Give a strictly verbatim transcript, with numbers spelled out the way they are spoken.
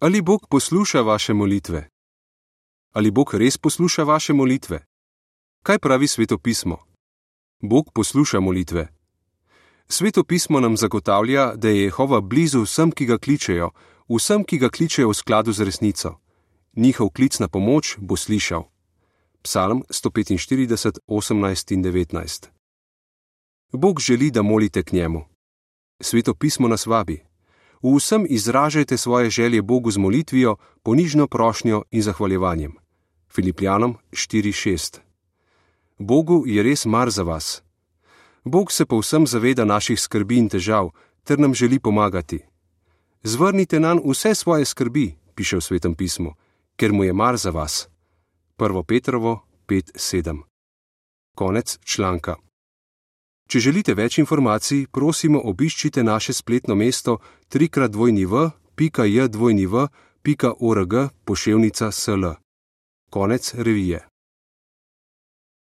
Ali Bog posluša vaše molitve? Ali Bog res posluša vaše molitve? Kaj pravi Sveto pismo? Bog posluša molitve. Sveto pismo nam zagotavlja, da je Jehova blizu vsem, ki ga kličejo, vsem, ki ga kličejo v skladu z resnico. Njihov klic na pomoč bo slišal. Psalm sto petinštirideset, osemnajst in devetnajst. Bog želi, da molite k njemu. Sveto pismo nas vabi. V vsem izražajte svoje želje Bogu z molitvijo, ponižno prošnjo in zahvaljevanjem. Filipljanom štiri šest. Bogu je res mar za vas. Bog se povsem zaveda naših skrbi in težav, ter nam želi pomagati. Zvrnite nanj vse svoje skrbi, piše v Svetem pismu, ker mu je mar za vas. prvo Petrovo pet sedem. Konec članka. Če želite več informacij, prosimo obiščite naše spletno mesto trikrat dvojni v pika j dvojni v pika org poševnica sl. Konec revije.